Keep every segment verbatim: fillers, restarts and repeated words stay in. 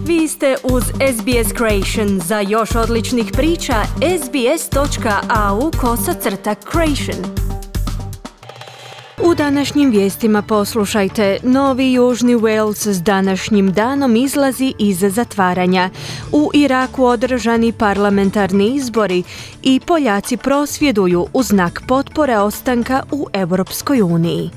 Vi ste uz S B S Creation. Za još odličnih priča, sbs.au kosacrta creation. U današnjim vijestima poslušajte. Novi Južni Wales s današnjim danom izlazi iz zatvaranja. U Iraku održani parlamentarni izbori i Poljaci prosvjeduju u znak potpore ostanka u Europskoj uniji.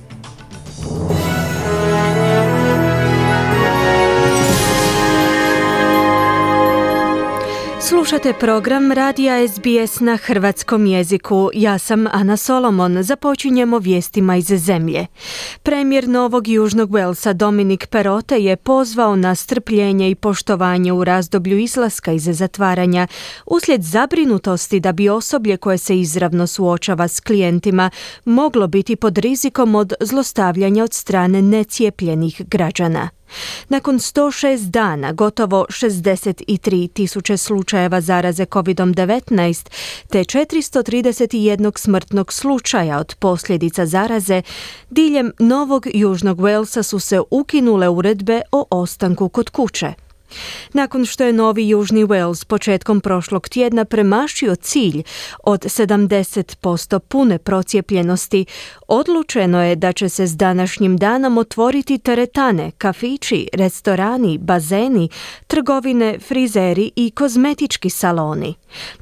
Slušate program radija S B S na hrvatskom jeziku. Ja sam Ana Solomon. Započinjemo vijestima iz zemlje. Premijer Novog Južnog Walesa Dominic Perrottet je pozvao na strpljenje i poštovanje u razdoblju izlaska iz zatvaranja uslijed zabrinutosti da bi osoblje koje se izravno suočava s klijentima moglo biti pod rizikom od zlostavljanja od strane necijepljenih građana. Nakon sto šest dana, gotovo šezdeset tri tisuće slučajeva zaraze kovid devetnaest te četiristo trideset jedan smrtnog slučaja od posljedica zaraze, diljem Novog Južnog Walesa su se ukinule uredbe o ostanku kod kuće. Nakon što je Novi Južni Wales početkom prošlog tjedna premašio cilj od sedamdeset posto pune procijepljenosti, odlučeno je da će se s današnjim danom otvoriti teretane, kafići, restorani, bazeni, trgovine, frizeri i kozmetički saloni.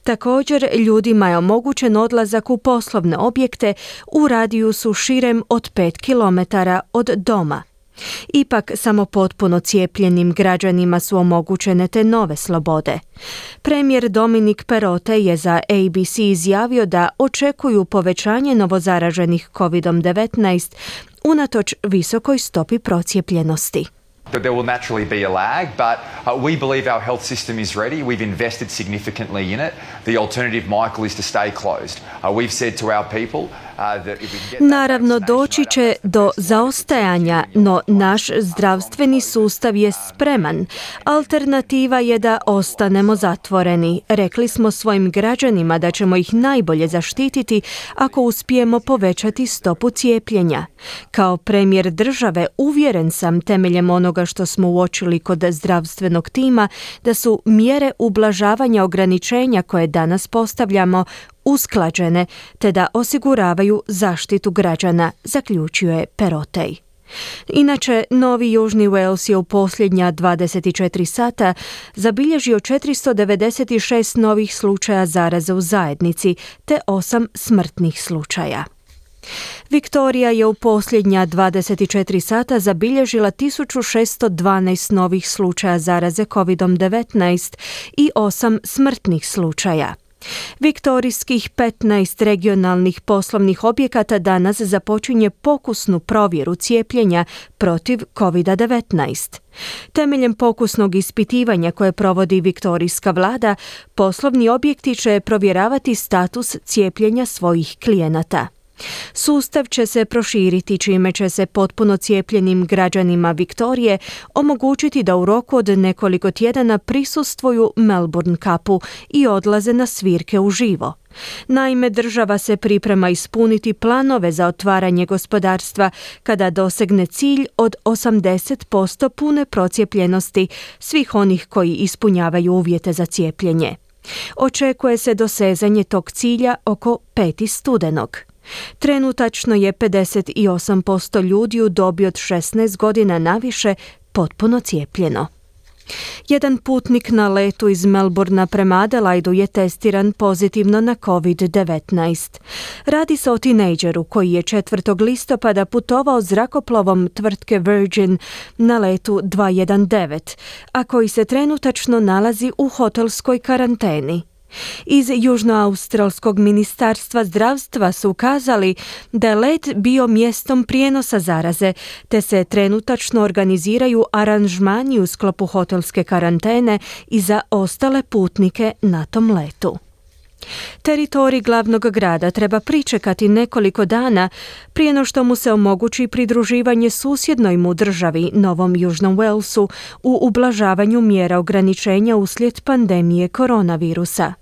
Također, ljudima je omogućen odlazak u poslovne objekte u radijusu širem od pet kilometara od doma. Ipak, samo potpuno cijepljenim građanima su omogućene te nove slobode. Premijer Dominic Perrottet je za A B C izjavio da očekuju povećanje novozaraženih kovid devetnaest unatoč visokoj stopi procijepljenosti. There will naturally be a lag, but uh, we believe our health system is ready. We've invested significantly in it. The alternative, Michael, is to stay closed. Uh, we've said to our people uh, that if we can get Naravno, doći će do zaostajanja, no naš zdravstveni sustav je spreman. Alternativa je da ostanemo zatvoreni. Rekli smo svojim građanima da ćemo ih najbolje zaštititi ako uspijemo povećati stopu cijepljenja. Kao premijer države uvjeren sam temeljem onoga što smo uočili kod zdravstvenog tima da su mjere ublažavanja ograničenja koje danas postavljamo usklađene te da osiguravaju zaštitu građana, zaključuje Perrottet. Inače, Novi Južni Wales je u posljednja dvadeset četiri sata zabilježio četiristo devedeset šest novih slučaja zaraze u zajednici te osam smrtnih slučaja. Viktorija je u posljednja dvadeset četiri sata zabilježila tisuću šesto dvanaest novih slučaja zaraze kovid devetnaest i osam smrtnih slučaja. Viktorijskih petnaest regionalnih poslovnih objekata danas započinje pokusnu provjeru cijepljenja protiv kovid devetnaest. Temeljem pokusnog ispitivanja koje provodi viktorijska vlada, poslovni objekti će provjeravati status cijepljenja svojih klijenata. Sustav će se proširiti čime će se potpuno cijepljenim građanima Viktorije omogućiti da u roku od nekoliko tjedana prisustvuju Melbourne Cupu i odlaze na svirke uživo. Naime, država se priprema ispuniti planove za otvaranje gospodarstva kada dosegne cilj od osamdeset posto pune procijepljenosti svih onih koji ispunjavaju uvjete za cijepljenje. Očekuje se dosezanje tog cilja oko petog studenog. Trenutačno je pedeset osam posto ljudi u dobi od šesnaest godina naviše potpuno cijepljeno. Jedan putnik na letu iz Melbournea prema Adelaidu je testiran pozitivno na kovid devetnaest. Radi se o tinejdžeru koji je četvrtog listopada putovao zrakoplovom tvrtke Virgin na letu dva jedan devet, a koji se trenutačno nalazi u hotelskoj karanteni. Iz Južnoaustralskog ministarstva zdravstva su ukazali da je let bio mjestom prijenosa zaraze, te se trenutačno organiziraju aranžmani u sklopu hotelske karantene i za ostale putnike na tom letu. Teritorij glavnog grada treba pričekati nekoliko dana prije no što mu se omogući pridruživanje susjednoj mu državi, Novom Južnom Walesu, u ublažavanju mjera ograničenja uslijed pandemije koronavirusa.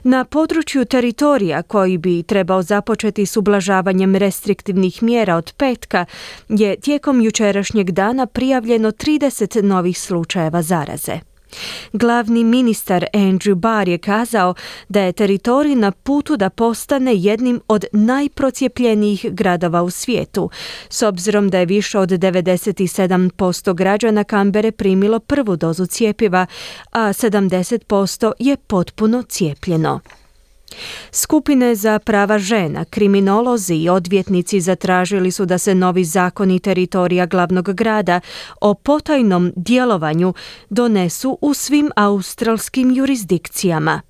Na području teritorija koji bi trebao započeti s ublažavanjem restriktivnih mjera od petka je tijekom jučerašnjeg dana prijavljeno trideset novih slučajeva zaraze. Glavni ministar Andrew Barr je kazao da je teritorij na putu da postane jednim od najprocijepljenijih gradova u svijetu, s obzirom da je više od devedeset sedam posto građana Kambere primilo prvu dozu cjepiva, a sedamdeset posto je potpuno cijepljeno. Skupine za prava žena, kriminolozi i odvjetnici zatražili su da se novi zakoni teritorija glavnog grada o potajnom djelovanju donesu u svim australskim jurisdikcijama.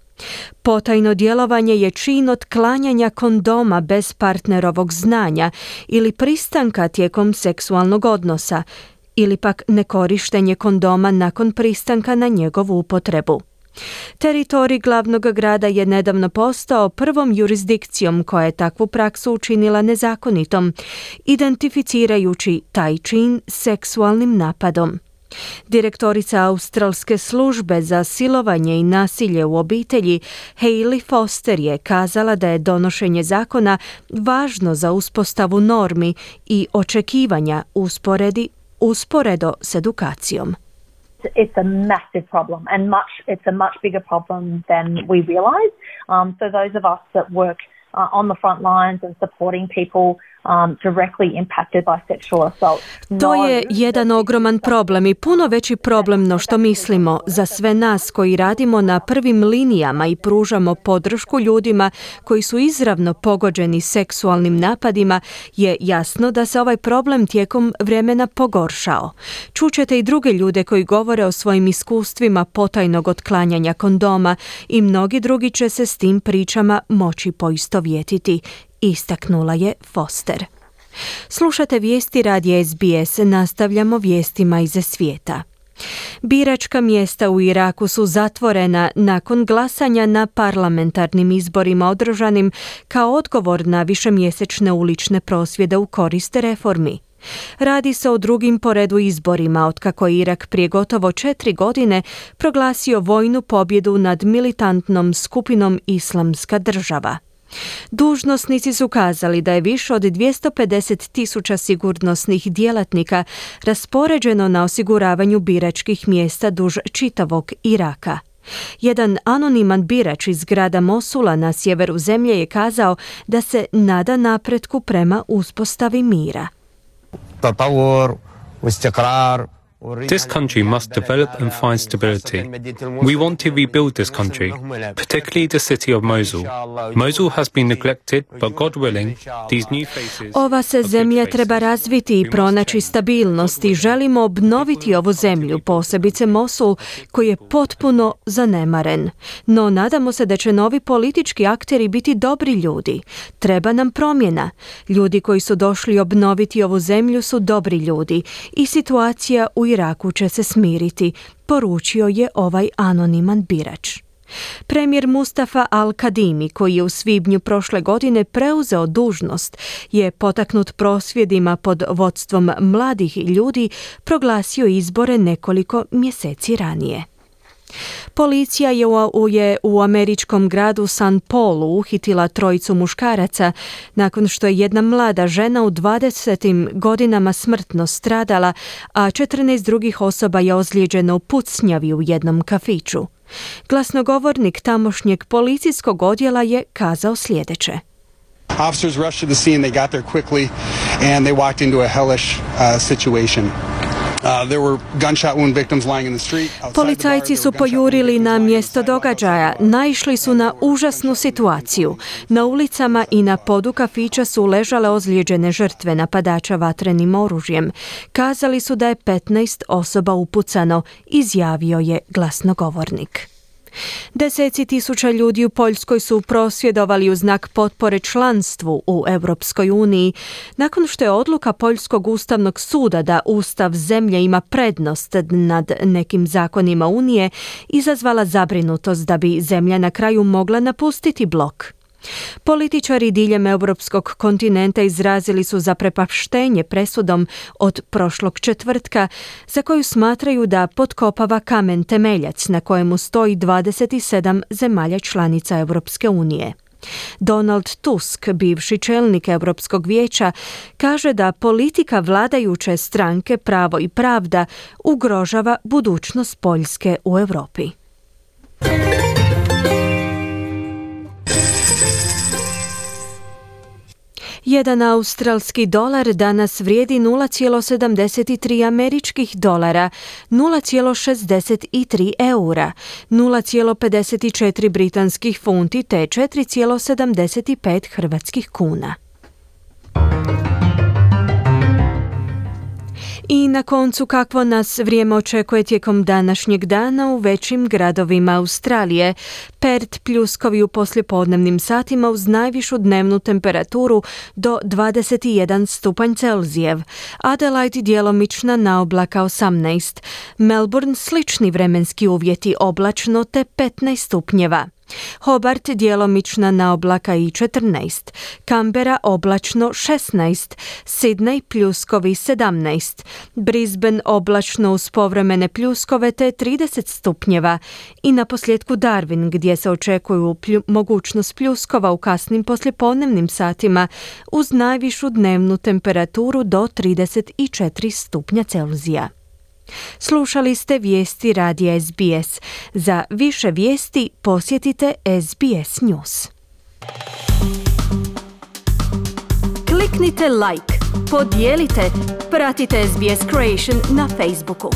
Potajno djelovanje je čin otklanjanja kondoma bez partnerovog znanja ili pristanka tijekom seksualnog odnosa, ili pak nekorištenje kondoma nakon pristanka na njegovu upotrebu. Teritorij glavnog grada je nedavno postao prvom jurisdikcijom koja je takvu praksu učinila nezakonitom, identificirajući taj čin seksualnim napadom. Direktorica Australske službe za silovanje i nasilje u obitelji Hayley Foster je kazala da je donošenje zakona važno za uspostavu normi i očekivanja usporedi, usporedo s edukacijom. It's a massive problem and much it's a much bigger problem than we realize. Um, so those of us that work uh, on the front lines and supporting people um, directly impacted by sexual assault. To je jedan ogroman problem i puno veći problem no što mislimo. Za sve nas koji radimo na prvim linijama i pružamo podršku ljudima koji su izravno pogođeni seksualnim napadima, je jasno da se ovaj problem tijekom vremena pogoršao. Čućete i druge ljude koji govore o svojim iskustvima potajnog otklanjanja kondoma i mnogi drugi će se s tim pričama moći poistovjetiti, istaknula je Foster. Slušate vijesti radija S B S, nastavljamo vijestima iz svijeta. Biračka mjesta u Iraku su zatvorena nakon glasanja na parlamentarnim izborima održanim kao odgovor na višemjesečne ulične prosvjede u korist reformi. Radi se o drugim po redu izborima otkako je Irak prije gotovo četiri godine proglasio vojnu pobjedu nad militantnom skupinom Islamska država. Dužnosnici su kazali da je više od dvjesto pedeset tisuća sigurnosnih djelatnika raspoređeno na osiguravanju biračkih mjesta duž čitavog Iraka. Jedan anoniman birač iz grada Mosula na sjeveru zemlje je kazao da se nada napretku prema uspostavi mira. This country must develop and find stability. We want to rebuild this country, particularly the city of Mosul. Mosul has been neglected, but God willing, these new faces... Ova se zemlja treba razviti i pronaći stabilnost i želimo obnoviti ovu zemlju, posebice Mosul, koji je potpuno zanemaren. No nadamo se da će novi politički akteri biti dobri ljudi. Treba nam promjena. Ljudi koji su došli obnoviti ovu zemlju su dobri ljudi i situacija u Iraku će se smiriti, poručio je ovaj anoniman birač. Premijer Mustafa Al-Kadimi, koji je u svibnju prošle godine preuzeo dužnost, je potaknut prosvjedima pod vodstvom mladih ljudi proglasio izbore nekoliko mjeseci ranije. Policija je u, je u američkom gradu San Paulu uhitila trojicu muškaraca nakon što je jedna mlada žena u dvadesetim godinama smrtno stradala, a četrnaest drugih osoba je ozlijeđeno u pucnjavi u jednom kafiću. Glasnogovornik tamošnjeg policijskog odjela je kazao sljedeće. Officers rushed to the scene, they got there quickly and they walked into a hellish uh, situation. Uh, there were gunshot wound victims lying in the street. Policajci su pojurili na mjesto događaja, naišli su na užasnu situaciju. Na ulicama i na podu kafića su ležale ozlijeđene žrtve napadača vatrenim oružjem. Kazali su da je petnaest osoba upucano, izjavio je glasnogovornik. Deseci tisuća ljudi u Poljskoj su prosvjedovali u znak potpore članstvu u Europskoj uniji, nakon što je odluka Poljskog ustavnog suda da ustav zemlje ima prednost nad nekim zakonima Unije izazvala zabrinutost da bi zemlja na kraju mogla napustiti blok. Političari diljem europskog kontinenta izrazili su zaprepaštenje presudom od prošlog četvrtka, za koju smatraju da potkopava kamen temeljac na kojemu stoji dvadeset sedam zemalja članica Europske unije. Donald Tusk, bivši čelnik Europskog vijeća, kaže da politika vladajuće stranke Pravo i pravda ugrožava budućnost Poljske u Europi. Jedan australski dolar danas vrijedi nula zarez sedamdeset tri američkih dolara, nula zarez šezdeset tri eura, nula zarez pedeset četiri britanskih funti te četiri zarez sedamdeset pet hrvatskih kuna. I na koncu kakvo nas vrijeme očekuje tijekom današnjeg dana u većim gradovima Australije. Perth pljuskovi u poslijepodnevnim satima uz najvišu dnevnu temperaturu do dvadeset jedan stupanj Celzijev. Adelaide djelomična naoblaka osamnaest. Melbourne slični vremenski uvjeti oblačno te petnaest stupnjeva. Hobart djelomična naoblaka i četrnaest, Canberra oblačno šesnaest, Sydney pljuskovi sedamnaest, Brisbane oblačno uz povremene pljuskove te trideset stupnjeva i na posljedku Darwin gdje se očekuju plju, mogućnost pljuskova u kasnim poslijepodnevnim satima uz najvišu dnevnu temperaturu do trideset četiri stupnja Celzija. Slušali ste vijesti radija S B S. Za više vijesti posjetite S B S News. Kliknite like, podijelite, pratite S B S Creation na Facebooku.